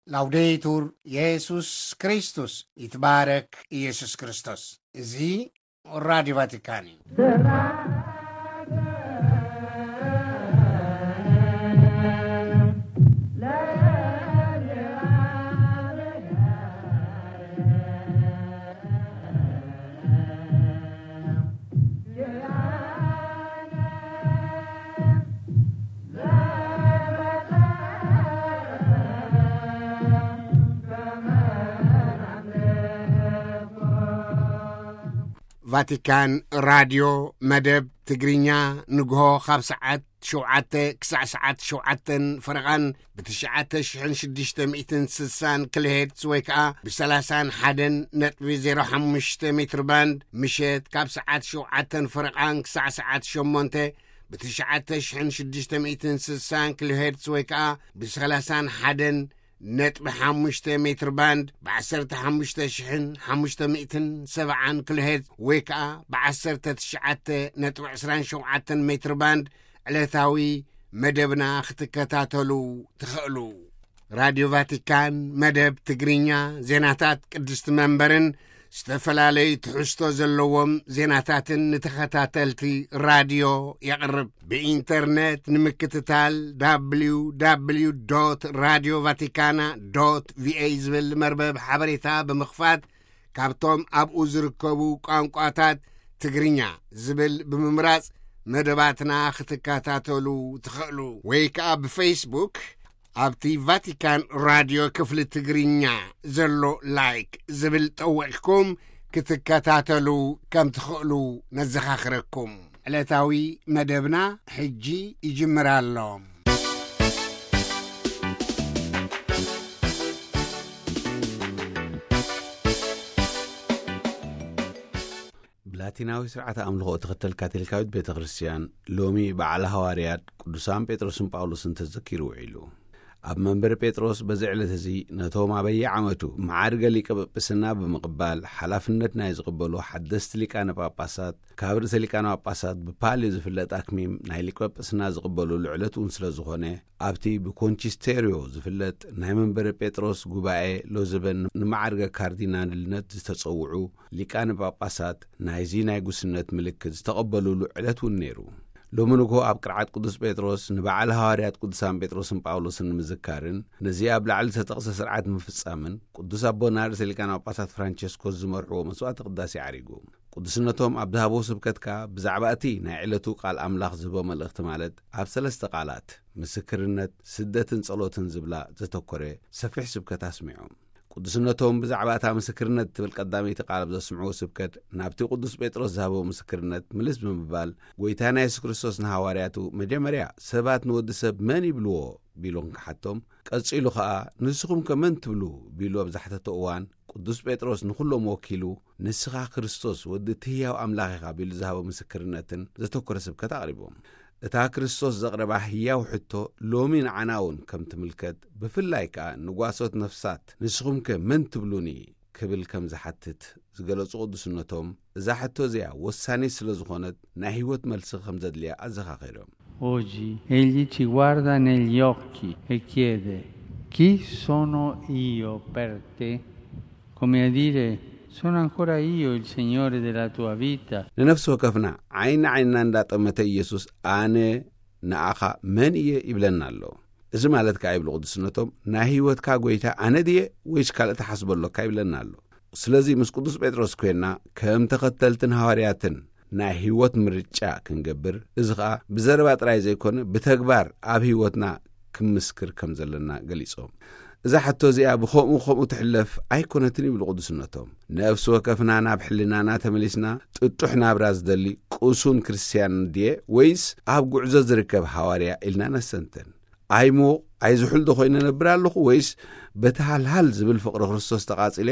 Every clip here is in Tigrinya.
ላውዴቱር የሱስ ክርስቶስ፣ ይትባረክ ኢየሱስ ክርስቶስ። እዚ ራዲዮ ቫቲካን እዩ። ቫቲካን ራድዮ መደብ ትግርኛ፣ ንግሆ ካብ ሰዓት ሸውዓተ ክሳዕ ሰዓት ሸውዓተን ፈረቓን ብትሽዓተ ሽሕን ሽዱሽተ ሚእትን ስሳን ኪሎሄርትዝ ወይ ከኣ ብሰላሳን ሓደን ነጥቢ ዜሮ ሓሙሽተ ሜትር ባንድ፣ ምሸት ካብ ሰዓት ሸውዓተን ፈረቓን ክሳዕ ሰዓት ሸሞንተ ብትሽዓተ ሽሕን ሽዱሽተ ሚእትን ስሳን ኪሎሄርትዝ ወይ ከኣ ብሰላሳን ሓደን ነጥቢ ሓሙሽተ ሜትር ባንድ፣ ብ15,570 ኪሎሄርትዝ ወይ ከኣ ብ19.27 ሜትር ባንድ ዕለታዊ መደብና ክትከታተሉ ትኽእሉ። ራድዮ ቫቲካን መደብ ትግርኛ፣ ዜናታት ቅድስቲ መንበርን ዝተፈላለዩ ትሕዝቶ ዘለዎም ዜናታትን ንተኸታተልቲ ራድዮ የቕርብ። ብኢንተርኔት ንምክትታል፣ www.radiovaticana.va ዝብል መርበብ ሓበሬታ ብምኽፋት፣ ካብቶም ኣብኡ ዝርከቡ ቋንቋታት ትግርኛ ዝብል ብምምራጽ መደባትና ክትከታተሉ ትኽእሉ። ወይ ከኣ ብፌስቡክ ኣብቲ ቫቲካን ራድዮ ክፍሊ ትግርኛ ዘሎ ላይክ ዝብል ጠዊቕኩም ክትከታተሉ ከም ትኽእሉ ነዘኻኽረኩም። ዕለታዊ መደብና ሕጂ ይጅምር ኣሎ። ብላቲናዊ ስርዓተ ኣምልኾ እትኽተል ካቶሊካዊት ቤተ ክርስቲያን፣ ሎሚ በዓል ሃዋርያት ቅዱሳን ጴጥሮስን ጳውሎስን ተዘኪሩ ውዒሉ። ኣብ መንበሪ ጴጥሮስ በዚ ዕለት እዚ ነቶም ኣበየ ዓመቱ መዓርገ ሊቀ ጳጳስና ብምቕባል ሓላፍነት ናይ ዝቕበሉ ሓደስቲ ሊቃነ ጳጳሳት፣ ካብ ርእሰ ሊቃነ ጳጳሳት ብፓልዩ ዝፍለጥ ኣክሚም ናይ ሊቀ ጳጳስና ዝቕበሉሉ ዕለት እውን ስለ ዝኾነ፣ ኣብቲ ብኮንቺስቴርዮ ዝፍለጥ ናይ መንበሪ ጴጥሮስ ጉባኤ ሎዝበን ንመዓርገ ካርዲናልነት ዝተጸውዑ ሊቃነ ጳጳሳት ናይዚ ናይ ጉስነት ምልክት ዝተቐበሉሉ ዕለት እውን ነይሩ። ሎሚ ንግሆ ኣብ ቅርዓት ቅዱስ ጴጥሮስ ንበዓል ሃዋርያት ቅዱሳን ጴጥሮስን ጳውሎስን ንምዝካርን ነዚ ኣብ ላዕሊ ዝተጠቕሰ ስርዓት ንምፍጻምን፣ ቅዱስ ኣቦና ርእሰ ሊቃነ ጳጳሳት ፍራንቸስኮስ ዝመርሕዎ መስዋዕተ ቅዳሴ ዓሪጉ። ቅዱስነቶም ኣብ ዝሃቦ ስብከት ከኣ ብዛዕባ እቲ ናይ ዕለቱ ቃል ኣምላኽ ዝህቦ መልእኽቲ፣ ማለት ኣብ ሰለስተ ቃላት፣ ምስክርነት፣ ስደትን ጸሎትን ዝብላ ዘተኮረ ሰፊሕ ስብከት ኣስሚዖም። ቅዱስነቶም ብዛዕባ እታ ምስክርነት እትብል ቀዳመይቲ ቃል ኣብ ዘስምዕዎ ስብከት፣ ናብቲ ቅዱስ ጴጥሮስ ዝሃቦ ምስክርነት ምልስ ብምባል፣ ጐይታና የሱስ ክርስቶስ ንሃዋርያቱ መጀመርያ ሰባት ንወዲ ሰብ መን ይብልዎ ቢሉ እንክሓቶም፣ ቀጺሉ ኸኣ ንስኹም ከ መን ትብሉ ቢሉ ኣብ ዝሓተቶ እዋን፣ ቅዱስ ጴጥሮስ ንኹሎም ወኪሉ ንስኻ ክርስቶስ ወዲ እቲ ህያው ኣምላኽ ኢኻ ቢሉ ዝሃቦ ምስክርነትን ዘተኮረ ስብከት ኣቕሪቦም። እታ ክርስቶስ ዘቕረባ ህያው ሕቶ ሎሚ ንዓና እውን ከም ትምልከት፣ ብፍላይ ከኣ ንጓሶት ነፍሳት ንስኹም ከ መን ትብሉኒ ክብል ከም ዝሓትት ዝገለጹ ቅዱስነቶም፣ እዛ ሕቶ እዚኣ ወሳኒት ስለ ዝኾነት ናይ ህይወት መልሲ ከም ዘድልያ ኣዘኻኺሮም። Oggi egli ci guarda negli occhi e chiede: "Chi sono io per te?" Come a dire: "Sono ancora io il Signore della tua vita?" ንነፍሲ ወከፍና ዓይኒ ዓይንና እንዳጠመተ ኢየሱስ ኣነ ንኣኻ መን እየ ይብለና ኣሎ። እዚ ማለት ከኣ ይብሉ ቅዱስነቶም፣ ናይ ህይወትካ ጐይታ ኣነ ድየ ወይስ ካልእ ትሓስቦ ኣሎካ ይብለና ኣሎ። ስለዚ ምስ ቅዱስ ጴጥሮስ ኮይና ከም ተኸተልትን ሃዋርያትን ናይ ህይወት ምርጫ ክንገብር፣ እዚ ኸኣ ብዘረባ ጥራይ ዘይኮነ ብተግባር ኣብ ህይወትና ክምስክር ከም ዘለና ገሊጾም። እዛ ሕቶ እዚኣ ብኸምኡ ከምኡ ትሕለፍ ኣይኮነትን ይብሉ ቅዱስነቶም። ነፍሲ ወከፍና ናብ ሕልናና ተመሊስና ጥጡሕ ናብራ ዝደሊ ቅሱን ክርስትያን ድየ ወይስ ኣብ ጉዕዞ ዝርከብ ሃዋርያ ኢልና ነስተንትን። ኣይሙቕ ኣይዝሑል ዶ ኮይነ ነብር ኣለኹ ወይስ በቲ ሃልሃል ዝብል ፍቕሪ ክርስቶስ ተቓጺለ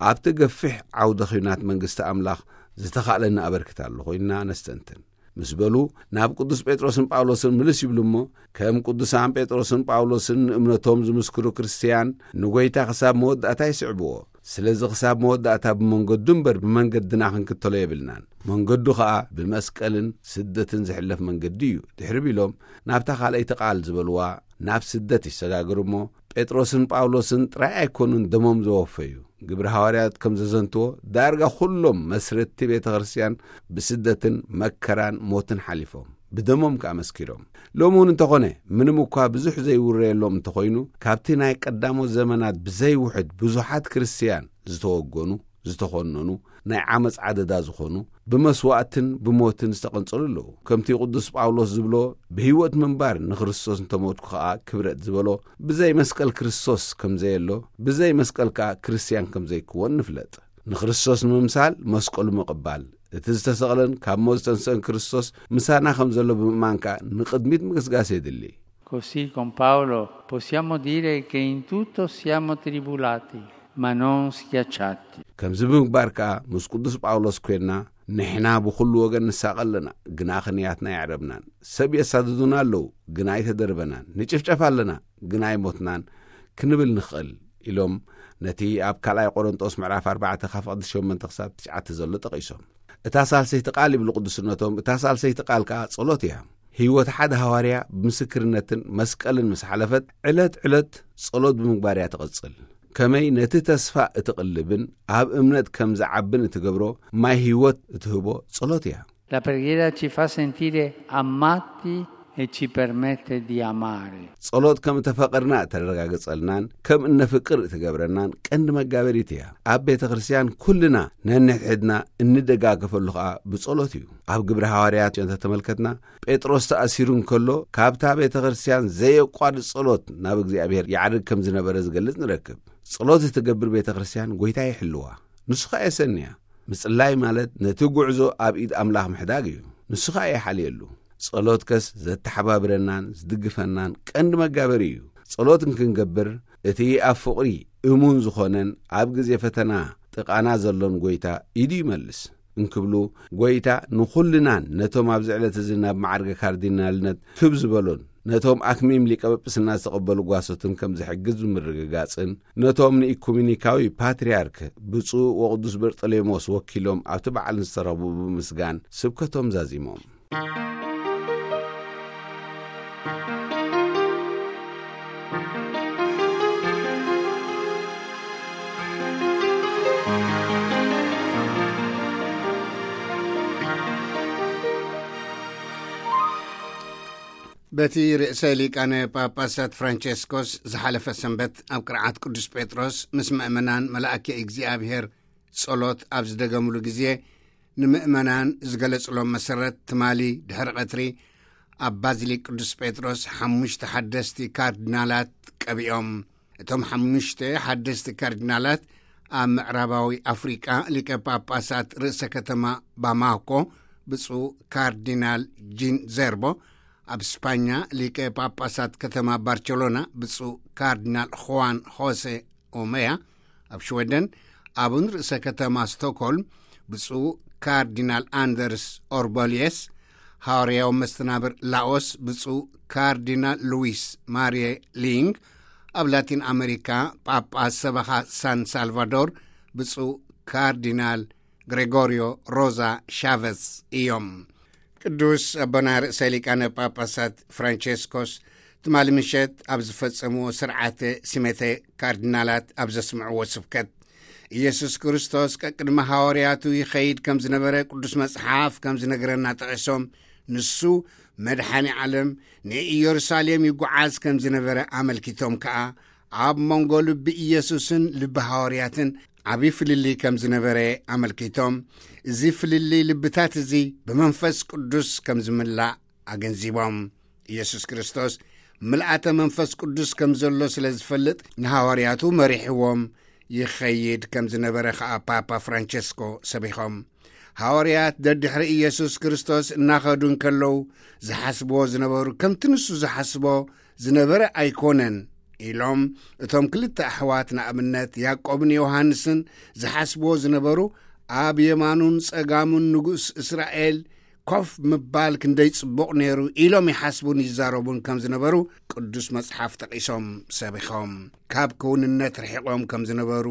ኣብቲ ገፊሕ ዓውደ ኲናት መንግስቲ ኣምላኽ ዝተኻእለኒ ኣበርክት ኣለኹ ኢልና ነስተንትን። ምስ በሉ፣ ናብ ቅዱስ ጴጥሮስን ጳውሎስን ምልስ ይብሉ እሞ፣ ከም ቅዱሳን ጴጥሮስን ጳውሎስን ንእምነቶም ዝምስክሩ ክርስትያን ንጐይታ ክሳብ መወዳእታ ይስዕብዎ። ስለዚ ክሳብ መወዳእታ ብመንገዱ እምበር ብመንገድና ክንክተሎ የብልናን። መንገዱ ኸኣ ብመስቀልን ስደትን ዝሕለፍ መንገዲ እዩ። ድሕሪ ቢሎም ናብታ ካልኣይቲ ቃል ዝበልዋ ናብ ስደት ይሰጋገሩ እሞ፣ ጴጥሮስን ጳውሎስን ጥራይ ኣይኮኑን ደሞም ዘወፈዩ። ግብሪ ሃዋርያት ከም ዘዘንትዎ፣ ዳርጋ ኩሎም መስረትቲ ቤተ ክርስቲያን ብስደትን መከራን ሞትን ሓሊፎም፣ ብደሞም ከኣ መስኪሮም። ሎሚ እውን እንተኾነ፣ ምንም እኳ ብዙሕ ዘይውረየሎም እንተኾይኑ፣ ካብቲ ናይ ቀዳሞት ዘመናት ብዘይውሕድ ብዙሓት ክርስቲያን ዝተወገኑ፣ ዝተኾነኑ፣ ናይ ዓመፅ ዓደዳ ዝኾኑ፣ ብመስዋእትን ብሞትን ዝተቐንጸሉ ኣለዉ። ከምቲ ቅዱስ ጳውሎስ ዝብሎ፣ ብህይወት ምንባር ንክርስቶስ እንተሞትኩ ኸኣ ክብረት ዝበሎ፣ ብዘይ መስቀል ክርስቶስ ከም ዘየሎ፣ ብዘይ መስቀል ከኣ ክርስትያን ከም ዘይክወን ንፍለጥ። ንክርስቶስ ንምምሳል መስቀሉ ምቕባል፣ እቲ ዝተሰቕለን ካብ ሞት ዝተንስአን ክርስቶስ ምሳና ከም ዘሎ ብምእማን ከኣ ንቕድሚት ምግስጋስ የድሊ። Così con Paolo possiamo dire che in tutto siamo tribulati, ma non schiacciati. ከምዚ ብምግባር ከኣ ምስ ቅዱስ ጳውሎስ ኮይንና፣ ንሕና ብኹሉ ወገን ንሳቐ ኣለና፣ ግና ክንያትና ኣየዕረብናን። ሰብ የሳድዱና ኣለዉ፣ ግና ኣይተደርበናን። ንጭፍጨፍ ኣለና፣ ግና ኣይሞትናን ክንብል ንኽእል ኢሎም፣ ነቲ ኣብ ካልኣይ ቆሮንጦስ ምዕራፍ ኣርባዕተ ካብ ፍቕዲ ሸሞንተ ክሳብ ትሽዓተ ዘሎ ጠቒሶም። እታ ሳልሰይቲ ቃል ይብሉ ቅዱስነቶም፣ እታ ሳልሰይቲ ቃል ከኣ ጸሎት እያ። ህይወት ሓደ ሃዋርያ ብምስክርነትን መስቀልን ምስ ሓለፈት፣ ዕለት ዕለት ጸሎት ብምግባር እያ ትቐጽል። ከመይ ነቲ ተስፋ እትቕልብን ኣብ እምነት ከም ዝዓብን እትገብሮ ማይ ህይወት እትህቦ ጸሎት እያ። La preghiera ci fa sentire amati e ci permette di amare. ጸሎት ከም እተፈቐርና እተረጋግጸልናን ከም እነፍቅር እትገብረናን ቀንዲ መጋበሪት እያ። ኣብ ቤተ ክርስቲያን ኩልና ነንሕድሕድና እንደጋገፈሉ ኸኣ ብጸሎት እዩ። ኣብ ግብረ ሃዋርያት እንተተመልከትና፣ ጴጥሮስ ተኣሲሩ እንከሎ፣ ካብታ ቤተ ክርስቲያን ዘየቋርጽ ጸሎት ናብ እግዚኣብሔር ይዓርግ ከም ዝነበረ ዝገልጽ ንረክብ። ጸሎት እትገብር ቤተ ክርስቲያን ጐይታ ይሕልዋ፣ ንሱ ኸኣ የሰንያ። ምጽላይ ማለት ነቲ ጉዕዞ ኣብ ኢድ ኣምላኽ ምሕዳግ እዩ፣ ንሱ ኸኣ ይሓልየሉ። ጸሎት ከስ ዘተሓባብረናን ዝድግፈናን ቀንዲ መጋበሪ እዩ። ጸሎት እንክንገብር፣ እቲ ኣብ ፍቕሪ እሙን ዝኾነን ኣብ ግዜ ፈተና ጥቓና ዘሎን ጐይታ ኢዱ ይመልስ እንክብሉ፣ ጐይታ ንኹልናን ነቶም ኣብዚ ዕለት እዚ ናብ ማዕርገ ካርዲናልነት ክብ ዝበሉን ነቶም ኣክሚም ሊቀ ጵጵስና ዝተቐበሉ ጓሶትን ከም ዝሕግዝ ብምርግጋጽን፣ ነቶም ንኢኩሜኒካዊ ፓትርያርክ ብፁዕ ወቅዱስ በርጠሌሞስ ወኪሎም ኣብቲ በዓል ዝተረኽቡ ብምስጋን ስብከቶም ዛዚሞም። በቲ ርእሰ ሊቃነ ጳጳሳት ፍራንቸስኮስ ዝሓለፈ ሰንበት ኣብ ቅርዓት ቅዱስ ጴጥሮስ ምስ ምእመናን መላእኪ እግዚኣብሔር ጸሎት ኣብ ዝደገምሉ ግዜ፣ ንምእመናን ዝገለጽሎም መሰረት፣ ትማሊ ድሕሪ ቀትሪ ኣብ ባዚሊክ ቅዱስ ጴጥሮስ ሓሙሽተ ሓደስቲ ካርዲናላት ቀቢኦም። እቶም ሓሙሽተ ሓደስቲ ካርዲናላት ኣብ ምዕራባዊ ኣፍሪቃ ሊቀ ጳጳሳት ርእሰ ከተማ ባማኮ ብፁዕ ካርዲናል ጂን ዘርቦ፣ ኣብ ስፓኛ ሊቀ ጳጳሳት ከተማ ባርቸሎና ብፁዕ ካርዲናል ኹዋን ሆሴ ኦመያ፣ ኣብ ሽወደን ኣቡን ርእሰ ከተማ ስቶክሆልም ብፁዕ ካርዲናል ኣንደርስ ኦርቦልየስ፣ ሃዋርያዊ መስተናብር ላኦስ ብፁዕ ካርዲናል ሉዊስ ማርየ ሊንግ፣ ኣብ ላቲን ኣመሪካ ጳጳስ ሰበኻ ሳን ሳልቫዶር ብፁዕ ካርዲናል ግሬጎሪዮ ሮዛ ሻቨዝ እዮም። ቅዱስ ኣቦና ርእሰ ሊቃነ ጳጳሳት ፍራንቸስኮስ ትማሊ ምሸት ኣብ ዝፈጸምዎ ስርዓተ ሲመተ ካርዲናላት ኣብ ዘስምዕዎ ስብከት፣ ኢየሱስ ክርስቶስ ቀቅድሚ ሃዋርያቱ ይኸይድ ከም ዝነበረ ቅዱስ መጽሓፍ ከም ዝነግረና ጠቒሶም፣ ንሱ መድሓኒ ዓለም ንኢየሩሳሌም ይጓዓዝ ከም ዝነበረ ኣመልኪቶም ከኣ፣ ኣብ መንጎ ልቢ ኢየሱስን ልቢ ሃዋርያትን ዓቢ ፍልልይ ከም ዝነበረ ኣመልኪቶም፣ እዚ ፍልልይ ልብታት እዚ ብመንፈስ ቅዱስ ከም ዝምላእ ኣገንዚቦም። ኢየሱስ ክርስቶስ ምልኣተ መንፈስ ቅዱስ ከም ዘሎ ስለ ዝፈልጥ፣ ንሃዋርያቱ መሪሕዎም ይኸይድ ከም ዝነበረ ኸኣ ፓፓ ፍራንቸስኮ ሰቢኾም። ሃዋርያት ደድሕሪ ኢየሱስ ክርስቶስ እናኸዱ እንከለዉ፣ ዝሓስብዎ ዝነበሩ ከምቲ ንሱ ዝሓስቦ ዝነበረ ኣይኮነን ኢሎም። እቶም ክልተ ኣሕዋት ንኣብነት ያዕቆብን ዮሃንስን ዝሓስብዎ ዝነበሩ፣ ኣብ የማኑን ጸጋሙን ንጉስ እስራኤል ኮፍ ምባል ክንደይ ጽቡቕ ነይሩ ኢሎም ይሓስቡን ይዛረቡን ከም ዝነበሩ ቅዱስ መጽሓፍ ጠቒሶም ሰቢኾም። ካብ ክውንነት ርሒቖም ከም ዝነበሩ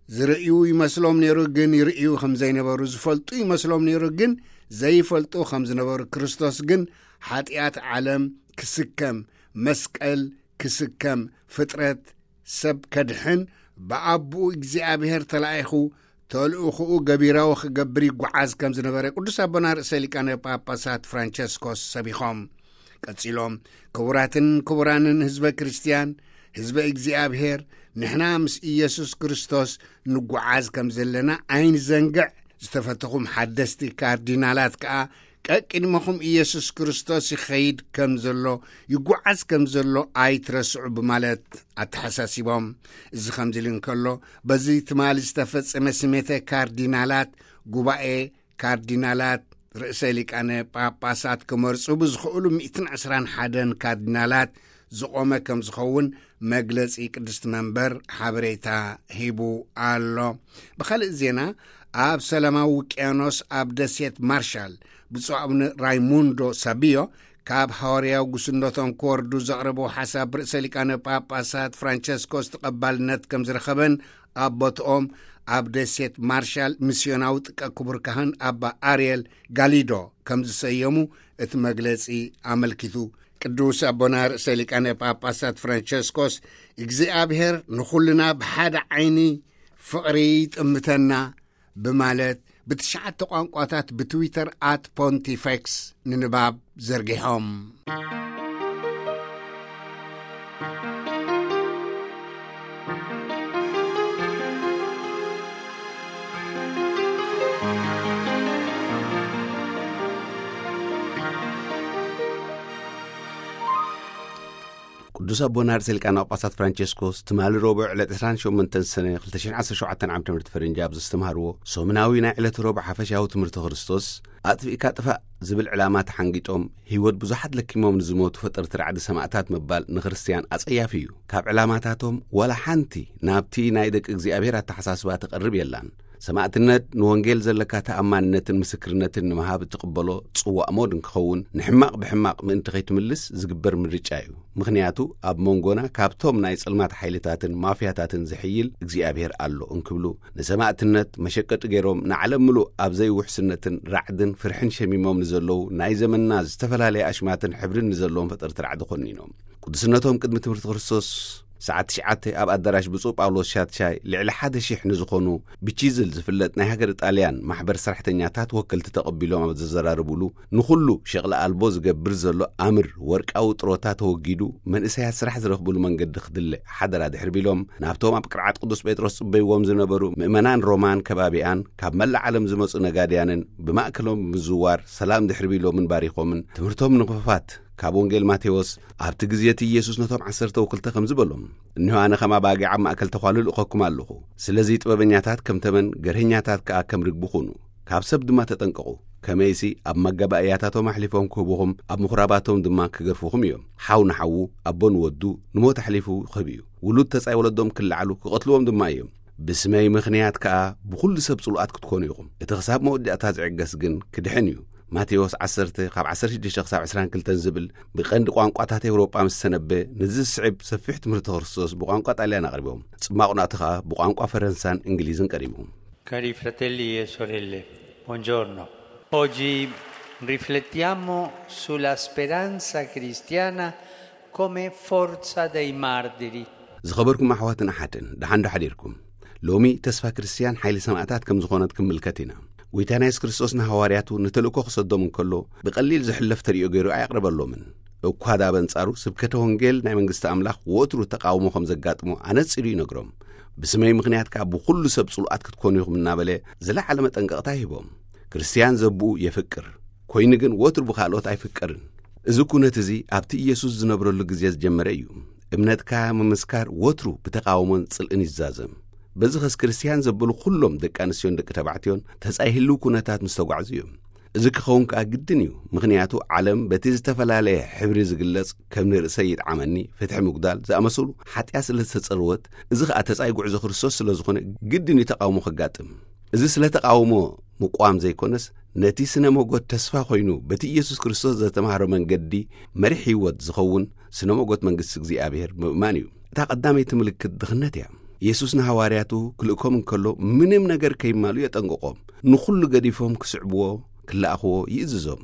ዝርእዩ ይመስሎም ነይሩ፣ ግን ይርእዩ ከም ዘይነበሩ ዝፈልጡ ይመስሎም ነይሩ፣ ግን ዘይፈልጡ ከም ዝነበሩ፣ ክርስቶስ ግን ሓጢኣት ዓለም ክስከም፣ መስቀል ክስከም፣ ፍጥረት ሰብ ከድሕን ብኣቦኡ እግዚኣብሔር ተላኢኹ ተልእኾኡ ገቢራዊ ክገብር ይጓዓዝ ከም ዝነበረ ቅዱስ ኣቦና ርእሰ ሊቃነ ጳጳሳት ፍራንቸስኮስ ሰቢኾም። ቀጺሎም፣ ክቡራትን ክቡራንን ህዝበ ክርስትያን፣ ህዝበ እግዚኣብሔር፣ ንሕና ምስ ኢየሱስ ክርስቶስ ንጓዓዝ ከም ዘለና ኣይንዘንግዕ። ዝተፈተኹም ሓደስቲ ካርዲናላት ከኣ ቀቅድመኹም ኢየሱስ ክርስቶስ ይኸይድ ከም ዘሎ፣ ይጓዓዝ ከም ዘሎ ኣይትረስዑ ብማለት ኣተሓሳሲቦም። እዚ ከምዚ ኢሉ እንከሎ፣ በዚ ትማሊ ዝተፈጸመ ስሜተ ካርዲናላት ጉባኤ ካርዲናላት ርእሰ ሊቃነ ጳጳሳት ክመርጹ ብዝኽእሉ ሚእትን ዕስራን ሓደን ካርዲናላት ዝቖመ ከም ዝኸውን መግለጺ ቅድስቲ መንበር ሓበሬታ ሂቡ ኣሎ። ብኻልእ ዜና፣ ኣብ ሰላማዊ ውቅያኖስ ኣብ ደሴት ማርሻል ብፁዕ ኣቡነ ራይሙንዶ ሳቢዮ ካብ ሃዋርያዊ ጉስነቶም ክወርዱ ዘቕረበው ሓሳብ ርእሰ ሊቃነ ጳጳሳት ፍራንቸስኮስ ተቐባልነት ከም ዝረኸበን ኣብ ቦትኦም ኣብ ደሴት ማርሻል ሚስዮናዊ ጥቀ ክቡር ካህን ኣባ ኣርየል ጋሊዶ ከም ዝሰየሙ እቲ መግለጺ ኣመልኪቱ። ቅዱስ ኣቦና ርእሰ ሊቃነ ጳጳሳት ፍራንቸስኮስ፣ እግዚኣብሔር ንኹልና ብሓደ ዓይኒ ፍቕሪ ይጥምተና ብማለት ብትሽዓተ ቋንቋታት ብትዊተር ኣት ፖንቲፌክስ ንንባብ ዘርጊሖም። ቅዱስ ኣቦና ርእሰ ሊቃነ ጳጳሳት ፍራንቸስኮስ ትማሊ ረቡዕ ዕለት ዕስራን ሸሞንተን ሰነ ክልተ ሽሕን ዓሰርተ ሸውዓተን ዓመተ ምህረት ፈረንጂ ኣብ ዘስተምሃርዎ ሰሙናዊ ናይ ዕለተ ረቡዕ ሓፈሻዊ ትምህርቲ ክርስቶስ፣ ኣጥፊእካ ጥፋእ ዝብል ዕላማ ተሓንጊጦም፣ ህይወት ብዙሓት ለኪሞም ንዝሞቱ ፈጠርቲ ራዕዲ ሰማእታት ምባል ንክርስትያን ኣጸያፊ እዩ። ካብ ዕላማታቶም ዋላ ሓንቲ ናብቲ ናይ ደቂ እግዚኣብሔር ኣተሓሳስባ ትቐርብ የላን። ሰማእትነት ንወንጌል ዘለካ ተኣማንነትን ምስክርነትን ንምሃብ እትቕበሎ ጽዋእ ሞት እንክኸውን፣ ንሕማቕ ብሕማቕ ምእንቲ ከይትምልስ ዝግበር ምርጫ እዩ። ምኽንያቱ ኣብ መንጎና ካብቶም ናይ ጸልማት ሓይልታትን ማፍያታትን ዝሕይል እግዚኣብሔር ኣሎ እንክብሉ፣ ንሰማእትነት መሸቀጢ ገይሮም ንዓለም ምሉእ ኣብ ዘይውሕስነትን ራዕድን ፍርሕን ሸሚሞም ንዘለዉ ናይ ዘመንና ዝተፈላለየ ኣሽማትን ሕብርን ንዘለዎም ፈጠርቲ ራዕዲ ኮኒኖም። ቅዱስነቶም ቅድሚ ትምህርቲ ክርስቶስ ሰዓት ትሽዓተ ኣብ ኣዳራሽ ብፁዕ ጳውሎስ ሻትሻይ ልዕሊ ሓደ ሺሕ ንዝኾኑ ብቺዝል ዝፍለጥ ናይ ሃገር ጣልያን ማሕበር ሰራሕተኛታት ወከልቲ ተቐቢሎም ኣብ ዘዘራርቡሉ፣ ንኹሉ ሸቕሊ ኣልቦ ዝገብር ዘሎ ኣምር ወርቃዊ ጥሮታ ተወጊዱ መንእሰያት ስራሕ ዝረኽብሉ መንገዲ ክድለ ሓደራ ድሕሪ ቢሎም፣ ናብቶም ኣብ ቅርዓት ቅዱስ ጴጥሮስ ጽበይዎም ዝነበሩ ምእመናን ሮማን ከባቢኣን ካብ መላእ ዓለም ዝመጹ ነጋድያንን ብማእከሎም ብምዝዋር ሰላም ድሕሪ ቢሎምን ባሪኾምን፣ ትምህርቶም ንኽፋት ካብ ወንጌል ማቴዎስ፣ ኣብቲ ግዜ እቲ ኢየሱስ ነቶም ዓሰርተ ወክልተ ከምዚ በሎም፣ "እነሆ ኣነ ከም ኣባጊዕ ኣብ ማእከል ተዃሉ ልእኸኩም ኣለኹ። ስለዚ ጥበበኛታት ከም ተመን፣ ገርሀኛታት ከኣ ከም ርግቢ ኩኑ። ካብ ሰብ ድማ ተጠንቀቑ። ከመይሲ ኣብ መጋባእያታቶም ኣሕሊፎም ክህቡኹም፣ ኣብ ምኹራባቶም ድማ ክገርፉኹም እዮም። ሓው ንሓዉ፣ ኣቦ ንወዱ ንሞት ኣሕሊፉ ክህብ እዩ። ውሉድ ተጻይ ወለዶም ክለዓሉ፣ ክቐትልዎም ድማ እዮም። ብስመይ ምኽንያት ከኣ ብኹሉ ሰብ ጽሉኣት ክትኮኑ ኢኹም። እቲ ክሳብ መወዳእታ ዝዕገስ ግን ክድሕን እዩ።" ማቴዎስ ዓሰርተ ካብ ዓሰርተ ሽዱሽተ ክሳብ ዕስራን ክልተን ዝብል ብቐንዲ ቋንቋታት ኤውሮጳ ምስ ተነበ፣ ነዚ ዝስዕብ ሰፊሕ ትምህርቲ ክርስቶስ ብቋንቋ ጣልያን ኣቕሪቦም። ጽማቑ ናቱ ከኣ ብቋንቋ ፈረንሳን እንግሊዝን ቀሪቡ። Cari fratelli e sorelle, buongiorno. Oggi riflettiamo sulla speranza cristiana come forza dei martiri. ዝኸበርኩም ኣሕዋትን ኣሓትን፣ ደሓን ዶ ሓዲርኩም? ሎሚ ተስፋ ክርስትያን ሓይሊ ሰማእታት ከም ዝኾነት ክንምልከት ኢና። ጐይታና የሱስ ክርስቶስ ንሃዋርያቱ ንተልእኮ ክሰዶም እንከሎ፣ ብቐሊል ዝሕለፍ ተርእዮ ገይሩ ኣየቕረበሎምን። እኳ ደኣ በንጻሩ ስብከተ ወንጌል ናይ መንግስቲ ኣምላኽ ወትሩ ተቓውሞ ከም ዘጋጥሞ ኣነጺሩ ይነግሮም። "ብስመይ ምኽንያት ከኣ ብኹሉ ሰብ ጽሉኣት ክትኮኑ ኢኹም" እናበለ ዝለዓለ መጠንቀቕታ ይህቦም። ክርስትያን ዘብኡ የፍቅር፣ ኮይኑ ግን ወትሩ ብኻልኦት ኣይፍቀርን። እዚ ኩነት እዚ ኣብቲ ኢየሱስ ዝነብረሉ ግዜ ዝጀመረ እዩ። እምነትካ ምምስካር ወትሩ ብተቓውሞን ጽልእን ይዛዘም። በዚ ኸስ ክርስትያን ዘበሉ ኩሎም ደቂ ኣንስትዮን ደቂ ተባዕትዮን ተጻይ ህልው ኩነታት ምስ ተጓዕዙ እዮም። እዚ ክኸውን ከኣ ግድን እዩ፣ ምኽንያቱ ዓለም በቲ ዝተፈላለየ ሕብሪ ዝግለጽ ከም ንርእሰይ ይጥዓመኒ፣ ፍትሒ ምጉዳል ዝኣመሰሉ ሓጢኣት ስለ ዝተጸርወት፣ እዚ ኸኣ ተጻይ ጉዕዞ ክርስቶስ ስለ ዝኾነ ግድን እዩ ተቓውሞ ከጋጥም። እዚ ስለ ተቓውሞ ምቋም ዘይኮነስ፣ ነቲ ስነ መጎት ተስፋ ኮይኑ በቲ ኢየሱስ ክርስቶስ ዘተማህሮ መንገዲ መሪሕ ህይወት ዝኸውን ስነ መጎት መንግስቲ እግዚኣብሔር ምእማን እዩ። እታ ቀዳመይቲ ምልክት ድኽነት እያ። ኢየሱስ ንሃዋርያቱ ክልእኮም እንከሎ ምንም ነገር ከይማሉ የጠንቅቖም። ንኹሉ ገዲፎም ክስዕብዎ፣ ክለኣኽዎ ይእዝዞም።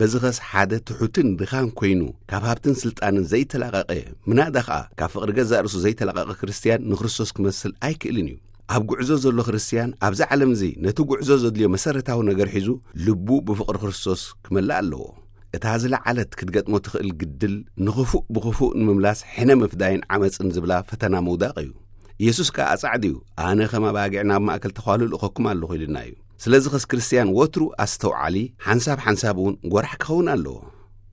በዚ ኸስ ሓደ ትሑትን ድኻን ኮይኑ፣ ካብ ሃብትን ስልጣንን ዘይተላቐቐ፣ ምናዳ ኸኣ ካብ ፍቕሪ ገዛእ ርእሱ ዘይተላቐቐ ክርስትያን ንክርስቶስ ክመስል ኣይክእልን እዩ። ኣብ ጉዕዞ ዘሎ ክርስትያን ኣብዚ ዓለም እዚ ነቲ ጉዕዞ ዘድልዮ መሰረታዊ ነገር ሒዙ፣ ልቡ ብፍቕሪ ክርስቶስ ክመልእ ኣለዎ። እታ ዝለዓለት ክትገጥሞ ትኽእል ግድል፣ ንኽፉእ ብኽፉእ ንምምላስ ሕነ ምፍዳይን ዓመጽን ዝብላ ፈተና ምውዳቕ እዩ። ኢየሱስ ከኣ ኣጻዕድ እዩ፣ ኣነ ከም ኣባጊዕ ናብ ማእከል ተዃሉ ልእኸኩም ኣለኹ ኢልና እዩ። ስለዚ ኸስ ክርስትያን ወትሩ ኣስተውዓሊ፣ ሓንሳብ ሓንሳብ እውን ጐራሕ ክኸውን ኣለዎ።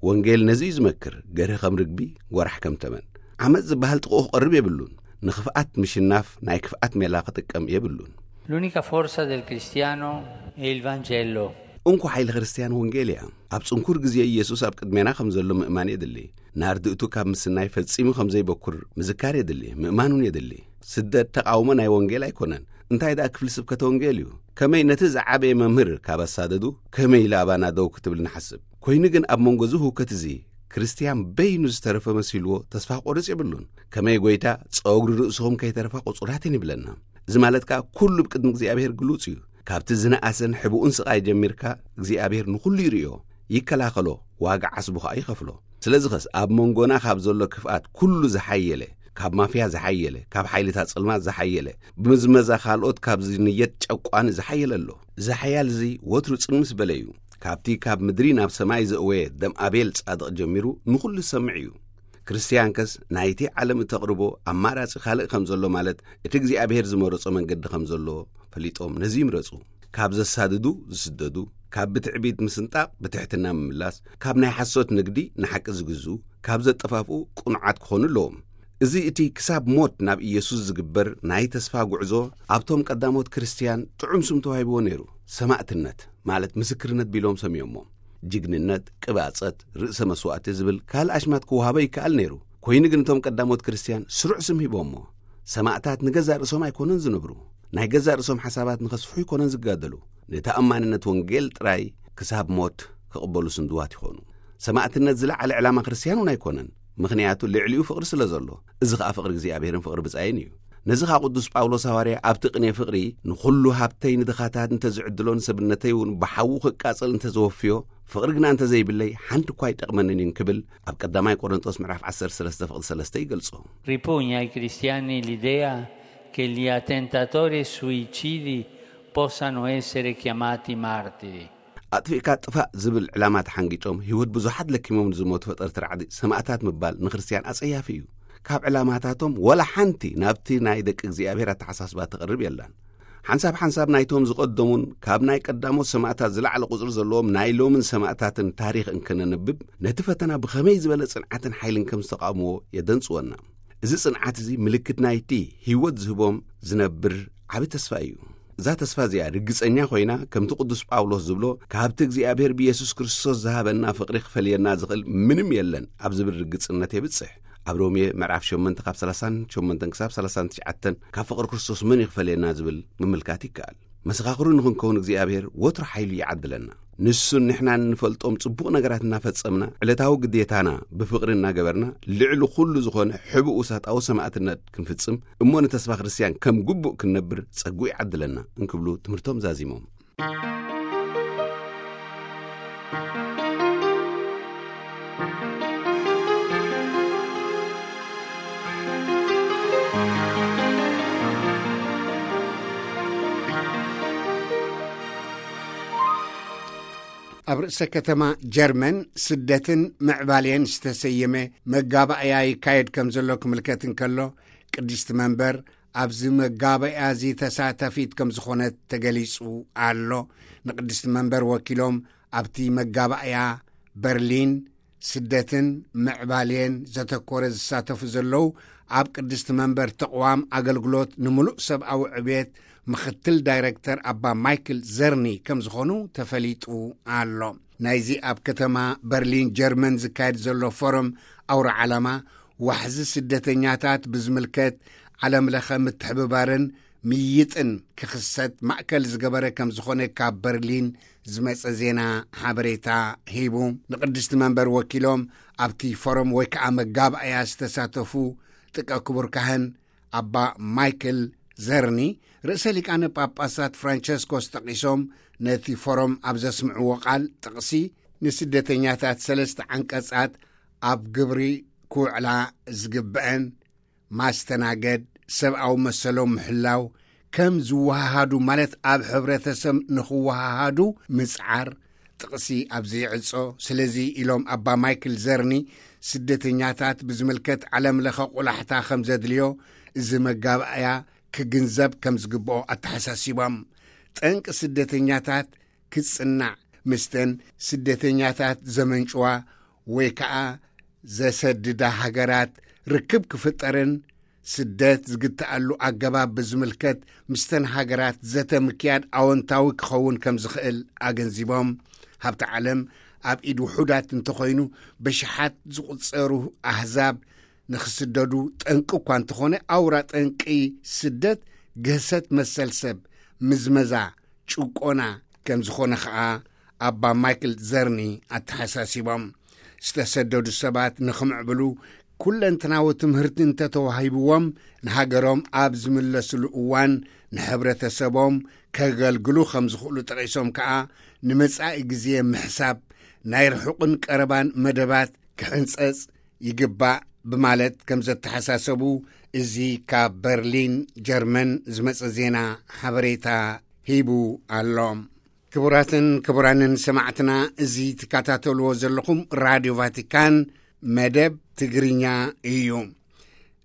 ወንጌል ነዚ እዩ ዝመክር፣ ገርህ ከም ርግቢ፣ ጐራሕ ከም ተመን። ዓመጽ ዝበሃል ጥቕኡ ክቐርብ የብሉን። ንኽፍኣት ምሽናፍ ናይ ክፍኣት ሜላ ክጥቀም የብሉን። L'unica forza del cristiano è il Vangelo. እንኮ ሓይሊ ክርስትያን ወንጌል እያ። ኣብ ጽንኩር ግዜ ኢየሱስ ኣብ ቅድሜና ከም ዘሎ ምእማን የድሊ። ንኣርድእቱ ካብ ምስናይ ፈጺሙ ከም ዘይበኩር ምዝካር የድሊ፣ ምእማን እውን የድሊ። ስደት ተቓውሞ ናይ ወንጌል ኣይኮነን። እንታይ ደኣ ክፍሊ ስብከተ ወንጌል እዩ። ከመይ ነቲ ዝዓበየ መምህር ካብ ኣሳደዱ፣ ከመይ ኢለ ኣባና ደው ክትብል ንሓስብ። ኮይኑ ግን ኣብ መንጎ እዚ ህውከት እዚ፣ ክርስትያን በይኑ ዝተረፈ መሲልዎ ተስፋ ክቆርጽ የብሉን። ከመይ ጐይታ፣ ጸጉሪ ርእስኹም ከይተረፋ ቁጹራት እየን ይብለና። እዚ ማለት ከኣ ኩሉ ብቅድሚ እግዚኣብሔር ግሉጽ እዩ። ካብቲ ዝነኣሰን ሕቡእን ስቓይ ጀሚርካ እግዚኣብሔር ንኹሉ ይርእዮ፣ ይከላኸሎ፣ ዋጋ ዓስቡ ከኣ ይኸፍሎ። ስለዚ ኸስ ኣብ መንጎና ካብ ዘሎ ክፍኣት ኩሉ ዝሓየለ፣ ካብ ማፍያ ዝሓየለ፣ ካብ ሓይልታት ጸልማት ዝሓየለ፣ ብምዝመዛ ካልኦት ካብ ዝንየት ጨቋኒ ዝሓየለ ኣሎ። እዚ ሓያል እዚ ወትሩ ጽን ምስ በለ እዩ። ካብቲ ካብ ምድሪ ናብ ሰማይ ዘእወየ ደም ኣቤል ጻድቕ ጀሚሩ ንኹሉ ዝሰምዕ እዩ። ክርስትያንከስ ናይቲ ዓለም እተቕርቦ ኣማራጺ ካልእ ከም ዘሎ፣ ማለት እቲ እግዚኣብሔር ዝመረጾ መንገዲ ከም ዘሎ ፈሊጦም ነዚ ይምረጹ። ካብ ዘሳድዱ ዝስደዱ፣ ካብ ብትዕቢት ምስንጣቕ ብትሕትና ምምላስ፣ ካብ ናይ ሓሶት ንግዲ ንሓቂ ዝግዝኡ፣ ካብ ዘጠፋፍኡ ቅኑዓት ክኾኑ ኣለዎም። እዚ እቲ ክሳብ ሞት ናብ ኢየሱስ ዝግበር ናይ ተስፋ ጉዕዞ ኣብቶም ቀዳሞት ክርስትያን ጥዑም ስም ተዋሂብዎ ነይሩ። ሰማእትነት ማለት ምስክርነት ቢሎም ሰምዮሞ። ጅግንነት፣ ቅባጸት፣ ርእሰ መስዋእቲ ዝብል ካልእ ኣሽማት ክወሃቦ ይከኣል ነይሩ። ኮይኑ ግን እቶም ቀዳሞት ክርስትያን ስሩዕ ስም ሂቦሞ። ሰማእታት ንገዛእ ርእሶም ኣይኮኑን ዝነብሩ። ናይ ገዛእ ርእሶም ሓሳባት ንኸስፍሑ ኣይኮነን ዝጋደሉ። ንተኣማንነት ወንጌል ጥራይ ክሳብ ሞት ክቕበሉ ስንድዋት ይኾኑ። ሰማእትነት ዝለዓለ ዕላማ ክርስትያን እውን ኣይኮነን። ምኽንያቱ ልዕሊኡ ፍቕሪ ስለ ዘሎ። እዚ ኸኣ ፍቕሪ እግዚኣብሔርን ፍቕሪ ብጻይን እዩ። ነዚ ኸኣ ቅዱስ ጳውሎስ ሃዋርያ ኣብቲ ቅኔ ፍቕሪ፣ "ንኹሉ ሃብተይ ንድኻታት እንተ ዝዕድሎ፣ ንሰብነተይ እውን ብሓዉ ክቃጸል እንተ ዘወፍዮ፣ ፍቕሪ ግና እንተ ዘይብለይ፣ ሓንቲ እኳ ኣይጠቕመንን እዩ" እንክብል ኣብ ቀዳማይ ቆሮንቶስ ምዕራፍ ዓሰርተ ሰለስተ ፍቕዲ ሰለስተ ይገልጾ። Ripugna ai cristiani l'idea che gli attentatori e suicidi possano essere chiamati martiri. ኣጥፊእካ ጥፋእ ዝብል ዕላማ ተሓንጊጦም ህይወት ብዙሓት ለኪሞም ንዝሞቱ ፈጠርቲ ራዕዲ ሰማእታት ምባል ንክርስትያን ኣጸያፊ እዩ። ካብ ዕላማታቶም ወላ ሓንቲ ናብቲ ናይ ደቂ እግዚኣብሔር ኣተሓሳስባ ትቐርብ የላን። ሓንሳብ ሓንሳብ ናይቶም ዝቐደሙን ካብ ናይ ቀዳሞት ሰማእታት ዝለዓለ ቁጽሪ ዘለዎም ናይ ሎምን ሰማእታትን ታሪኽ እንክነንብብ፣ ነቲ ፈተና ብኸመይ ዝበለ ጽንዓትን ሓይልን ከም ዝተቓወምዎ የደንጽወና። እዚ ጽንዓት እዚ ምልክት ናይቲ ህይወት ዝህቦም ዝነብር ዓቢ ተስፋ እዩ። እዛ ተስፋ እዚኣ ርግጸኛ ኮይና፣ ከምቲ ቅዱስ ጳውሎስ ዝብሎ፣ "ካብቲ እግዚኣብሔር ብየሱስ ክርስቶስ ዝሃበና ፍቕሪ ክፈልየና ዝኽእል ምንም የለን" ኣብ ዝብል ርግጽነት የብጽሕ። ኣብ ሮሜ ምዕራፍ ሸሞንተ ካብ ሰላሳን ሸሞንተን ክሳብ ሰላሳን ትሽዓተን፣ ካብ ፍቕሪ ክርስቶስ መን እዩ ክፈልየና ዝብል ምምልካት ይከኣል። መሰኻኽሩ ንኽንከውን እግዚኣብሔር ወትሩ ሓይሉ ይዓድለና። ንሱን ንሕናን እንፈልጦም ጽቡቕ ነገራት እናፈጸምና፣ ዕለታዊ ግዴታና ብፍቕሪ እናገበርና፣ ልዕሊ ኩሉ ዝኾነ ሕቡእ ውሳጣዊ ሰማእትነት ክንፍጽም፣ እሞ ንተስፋ ክርስትያን ከም ግቡእ ክንነብር ጸግኡ ይዓድለና እንክብሉ ትምህርቶም ዛዚሞም። ኣብ ርእሰ ከተማ ጀርመን ስደትን ምዕባሌን ዝተሰየመ መጋባእያ ይካየድ ከም ዘሎ ክምልከት እንከሎ፣ ቅድስቲ መንበር ኣብዚ መጋባእያ እዚ ተሳታፊት ከም ዝኾነት ተገሊጹ ኣሎ። ንቅድስቲ መንበር ወኪሎም ኣብቲ መጋባእያ በርሊን ስደትን ምዕባሌን ዘተኮረ ዝሳተፉ ዘለዉ ኣብ ቅድስቲ መንበር ተቕዋም ኣገልግሎት ንምሉእ ሰብኣዊ ዕብየት ምኽትል ዳይረክተር ኣባ ማይክል ዘርኒ ከም ዝኾኑ ተፈሊጡ ኣሎ። ናይዚ ኣብ ከተማ በርሊን ጀርመን ዝካየድ ዘሎ ፎረም ኣውራ ዓላማ ዋሕዚ ስደተኛታት ብዝምልከት ዓለም ለኸ ምትሕብባርን ምይጥን ክኽሰት ማእከል ዝገበረ ከም ዝኾነ ካብ በርሊን ዝመጸ ዜና ሓበሬታ ሂቡ። ንቅድስቲ መንበር ወኪሎም ኣብቲ ፎረም ወይ ከዓ መጋባእያ ዝተሳተፉ ጥቀ ክቡር ካህን ኣባ ማይክል ዘርኒ ርእሰ ሊቃነ ጳጳሳት ፍራንቸስኮስ ጠቒሶም ነቲ ፎረም ኣብ ዘስምዕዎ ቃል ጥቕሲ ንስደተኛታት ሰለስተ ዓንቀጻት ኣብ ግብሪ ክውዕላ ዝግብአን ማስተናገድ፣ ሰብኣዊ መሰሎም ምሕላው፣ ከም ዝወሃሃዱ፣ ማለት ኣብ ሕብረተሰብ ንኽወሃሃዱ ምጽዓር ጥቕሲ ኣብዚ ይዕጾ። ስለዚ ኢሎም ኣባ ማይክል ዘርኒ፣ ስደተኛታት ብዝምልከት ዓለም ለኸ ቁላሕታ ከም ዘድልዮ፣ እዚ መጋባእያ ክግንዘብ ከም ዝግብኦ ኣተሓሳሲቦም። ጠንቂ ስደተኛታት ክጽናዕ፣ ምስተን ስደተኛታት ዘመንጭዋ ወይ ከኣ ዘሰድዳ ሃገራት ርክብ ክፍጠርን ስደት ዝግትኣሉ ኣገባብ ብዝምልከት ምስተን ሃገራት ዘተ ምክያድ ኣወንታዊ ክኸውን ከም ዝኽእል ኣገንዚቦም። ሃብቲ ዓለም ኣብ ኢድ ውሑዳት እንተኾይኑ፣ በሽሓት ዝቑጸሩ ኣህዛብ ንኽስደዱ ጠንቂ እኳ እንተኾነ፣ ኣውራ ጠንቂ ስደት ግህሰት መሰል ሰብ፣ ምዝመዛ፣ ጭቆና ከም ዝኾነ ኸኣ ኣባ ማይክል ዘርኒ ኣተሓሳሲቦም። ዝተሰደዱ ሰባት ንኽምዕብሉ ኩለንተናዊ ትምህርቲ እንተተዋሂብዎም፣ ንሃገሮም ኣብ ዝምለስሉ እዋን ንሕብረተሰቦም ከገልግሉ ከም ዝኽእሉ ጠቒሶም ከኣ፣ ንመጻኢ ግዜ ምሕሳብ፣ ናይ ርሑቕን ቀረባን መደባት ክሕንጸጽ ይግባእ ብማለት ከም ዘተሓሳሰቡ፣ እዚ ካብ በርሊን ጀርመን ዝመጸ ዜና ሓበሬታ ሂቡ ኣሎ። ክቡራትን ክቡራንን ሰማዕትና፣ እዚ ትከታተልዎ ዘለኹም ራድዮ ቫቲካን መደብ ትግርኛ እዩ።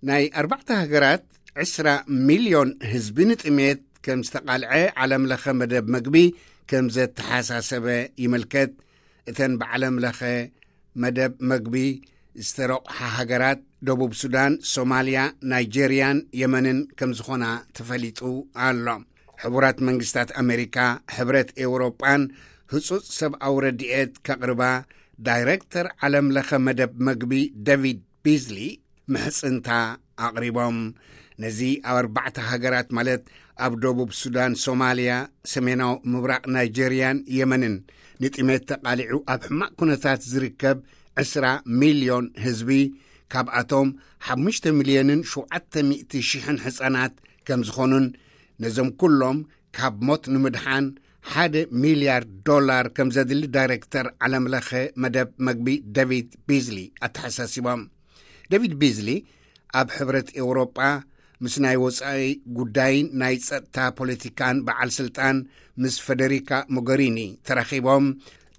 ናይ ኣርባዕተ ሃገራት ዕስራ ሚልዮን ህዝቢ ንጥሜት ከም ዝተቓልዐ ዓለም ለኸ መደብ መግቢ ከም ዘተሓሳሰበ ይምልከት። እተን ብዓለም ለኸ መደብ መግቢ ዝተረቑሓ ሃገራት ደቡብ ሱዳን፣ ሶማልያ፣ ናይጄርያን የመንን ከም ዝኾና ተፈሊጡ ኣሎ። ሕቡራት መንግስታት ኣሜሪካ፣ ሕብረት ኤውሮጳን ህጹጽ ሰብኣዊ ረድኤት ከቕርባ ዳይረክተር ዓለም ለኸ መደብ መግቢ ዴቪድ ቢዝሊ ምሕጽንታ ኣቕሪቦም። ነዚ ኣብ ኣርባዕተ ሃገራት፣ ማለት ኣብ ደቡብ ሱዳን፣ ሶማልያ፣ ሰሜናዊ ምብራቕ ናይጄርያን የመንን ንጥሜት ተቓሊዑ ኣብ ሕማቕ ኩነታት ዝርከብ ዕስራ ሚልዮን ህዝቢ፣ ካብኣቶም ሓሙሽተ ሚልዮንን ሸውዓተ ሚእቲ ሽሕን ሕጻናት ከም ዝኾኑን፣ ነዞም ኩሎም ካብ ሞት ንምድሓን ሓደ ሚልያርድ ዶላር ከም ዘድሊ ዳይሬክተር ዓለም ለኸ መደብ መግቢ ዴቪድ ቢዝሊ ኣተሓሳሲቦም። ዴቪድ ቢዝሊ ኣብ ሕብረት ኤውሮጳ ምስ ናይ ወጻኢ ጉዳይን ናይ ጸጥታ ፖለቲካን በዓል ስልጣን ምስ ፈደሪካ ሞገሪኒ ተራኺቦም፣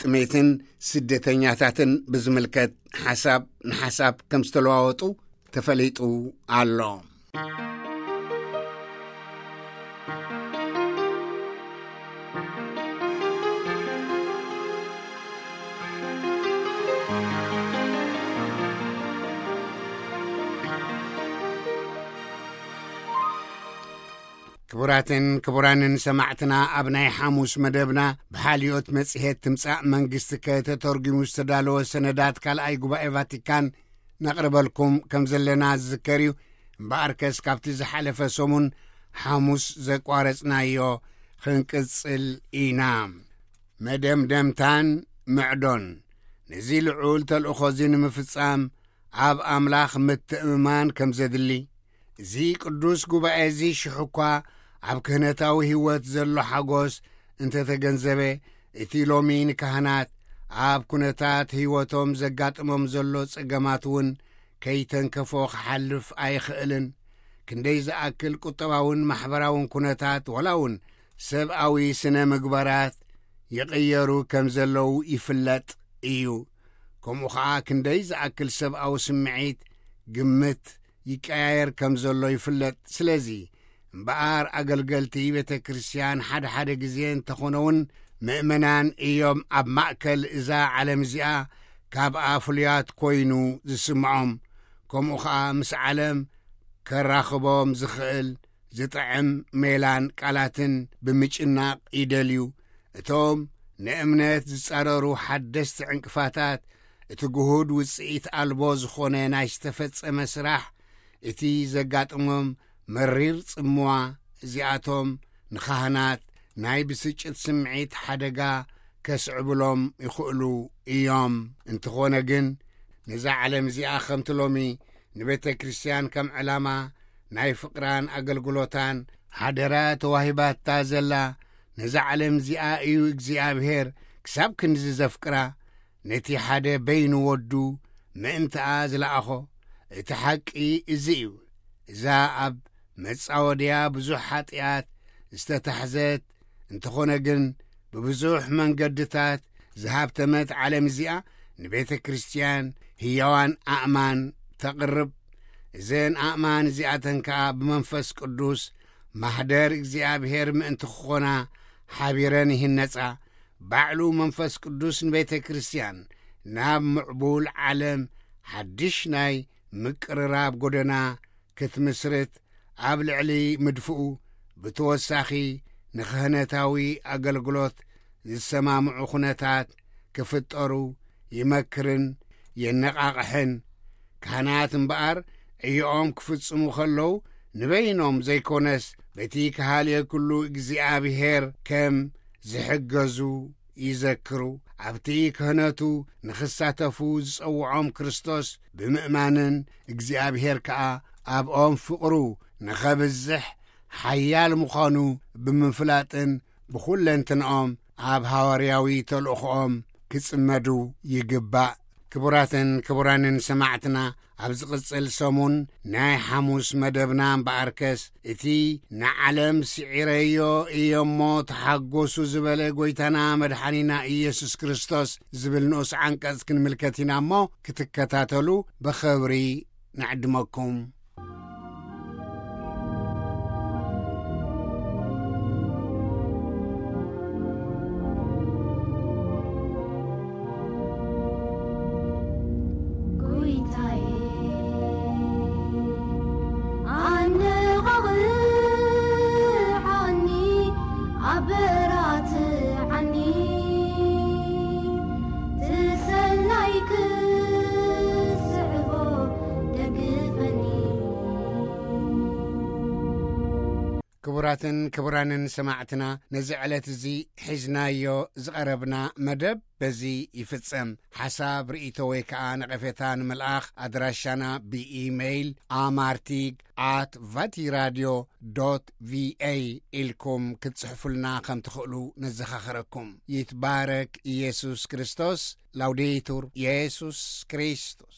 ጥሜትን ስደተኛታትን ብዝምልከት ሓሳብ ንሓሳብ ከም ዝተለዋወጡ ተፈሊጡ ኣሎ። ክቡራትን ክቡራንን ሰማዕትና፣ ኣብ ናይ ሓሙስ መደብና ብሓልዮት መጽሔት ትምጻእ መንግስቲ ከተተርጉሙ ዝተዳለወ ሰነዳት ካልኣይ ጉባኤ ቫቲካን ነቕርበልኩም ከም ዘለና ዝዝከር እዩ። እምበኣርከስ ካብቲ ዝሓለፈ ሰሙን ሓሙስ ዘቋረጽናዮ ክንቅጽል ኢና። መደምደምታን ምዕዶን። ነዚ ልዑል ተልእኾ እዚ ንምፍጻም ኣብ ኣምላኽ ምትእምማን ከም ዘድሊ፣ እዚ ቅዱስ ጉባኤ እዚ ሽሕ እኳ ኣብ ክህነታዊ ህይወት ዘሎ ሓጎስ እንተተገንዘበ፣ እቲ ሎሚ ንካህናት ኣብ ኩነታት ህይወቶም ዘጋጥሞም ዘሎ ጸገማት እውን ከይተንከፎ ክሓልፍ ኣይኽእልን። ክንደይ ዝኣክል ቁጠባውን ማሕበራውን ኩነታት፣ ዋላ እውን ሰብኣዊ ስነ ምግባራት ይቕየሩ ከም ዘለዉ ይፍለጥ እዩ። ከምኡ ኸዓ ክንደይ ዝኣክል ሰብኣዊ ስምዒት፣ ግምት ይቀያየር ከም ዘሎ ይፍለጥ። ስለዚ እምበኣር ኣገልገልቲ ቤተ ክርስቲያን ሓደ ሓደ ግዜ እንተኾነ እውን ምእመናን እዮም ኣብ ማእከል እዛ ዓለም እዚኣ ካብኣ ፍሉያት ኮይኑ ዝስምዖም። ከምኡ ኸዓ ምስ ዓለም ከራኽቦም ዝኽእል ዝጥዕም ሜላን ቃላትን ብምጭናቕ ይደልዩ። እቶም ንእምነት ዝጻረሩ ሓደስቲ ዕንቅፋታት፣ እቲ ግሁድ ውጽኢት ኣልቦ ዝኾነ ናይ ዝተፈጸመ ስራሕ፣ እቲ ዘጋጥሞም መሪር ጽምዋ፣ እዚኣቶም ንኻህናት ናይ ብስጭት ስምዒት ሓደጋ ከስዕብሎም ይኽእሉ እዮም። እንተኾነ ግን፣ ነዛ ዓለም እዚኣ ከምቲ ሎሚ ንቤተ ክርስቲያን ከም ዕላማ ናይ ፍቕራን ኣገልግሎታን ሓደራ ተዋሂባታ ዘላ፣ ነዛ ዓለም እዚኣ እዩ እግዚኣብሔር ክሳብ ክንዚ ዘፍቅራ። ነቲ ሓደ በይኑ ወዱ ምእንትኣ ዝለኣኾ። እቲ ሓቂ እዚ እዩ። እዛ ኣብ መጻወድያ ብዙሕ ሓጢኣት ዝተታሕዘት እንተኾነ ግን፣ ብብዙሕ መንገድታት ዝሃብተመት ዓለም እዚኣ ንቤተ ክርስቲያን ህያዋን ኣእማን ተቕርብ። እዘን ኣእማን እዚኣተን ከኣ ብመንፈስ ቅዱስ ማህደር እግዚኣብሔር ምእንቲ ክኾና ሓቢረን ይህነጻ። ባዕሉ መንፈስ ቅዱስ ንቤተ ክርስቲያን ናብ ምዕቡል ዓለም ሓድሽ ናይ ምቅርራብ ጎደና ክትምስርት ኣብ ልዕሊ ምድፍኡ፣ ብተወሳኺ ንክህነታዊ ኣገልግሎት ዝሰማምዑ ኩነታት ክፍጠሩ ይመክርን የነቓቕሕን። ካህናት እምበኣር ዕዮኦም ክፍጽሙ ከለዉ፣ ንበይኖም ዘይኮነስ፣ በቲ ክሃልየ ኩሉ እግዚኣብሔር ከም ዝሕገዙ ይዘክሩ። ኣብቲ ክህነቱ ንኽሳተፉ ዝጸውዖም ክርስቶስ ብምእማንን፣ እግዚኣብሔር ከኣ ኣብኦም ፍቕሩ ንኸብዝሕ ሓያል ምዃኑ ብምፍላጥን፣ ብኹለንትንኦም ኣብ ሃዋርያዊ ተልእኾኦም ክጽመዱ ይግባእ። ክቡራትን ክቡራንን ሰማዕትና፣ ኣብ ዝቕጽል ሰሙን ናይ ሓሙስ መደብና እምበኣርከስ፣ እቲ ንዓለም ስዒረዮ እየ እሞ ተሓጎሱ ዝበለ ጐይታና መድሓኒና ኢየሱስ ክርስቶስ ዝብል ንኡስ ዓንቀጽ ክንምልከት ኢና እሞ፣ ክትከታተሉ ብኽብሪ ንዕድመኩም። ጎይታዬ፣ ኣነቓቕሓኒ፣ ኣበራትዓኒ፣ ትሰናይ ክስዕቦ ደግፈኒ። ክቡራትን ክቡራንን ሰማዕትና፣ ነዚ ዕለት እዚ ሒዝናዮ ዝቐረብና መደብ በዚ ይፍጸም። ሓሳብ፣ ርእይቶ ወይ ከኣ ነቐፌታ ንምልኣኽ፣ ኣድራሻና ብኢሜይል ኣማርቲግ ኣት ቫቲራድዮ ዶት ቪኤ ኢልኩም ክትጽሕፉልና ከም ትኽእሉ ነዘኻኽረኩም። ይትባረክ ኢየሱስ ክርስቶስ። ላውዴቱር ኢየሱስ ክርስቶስ።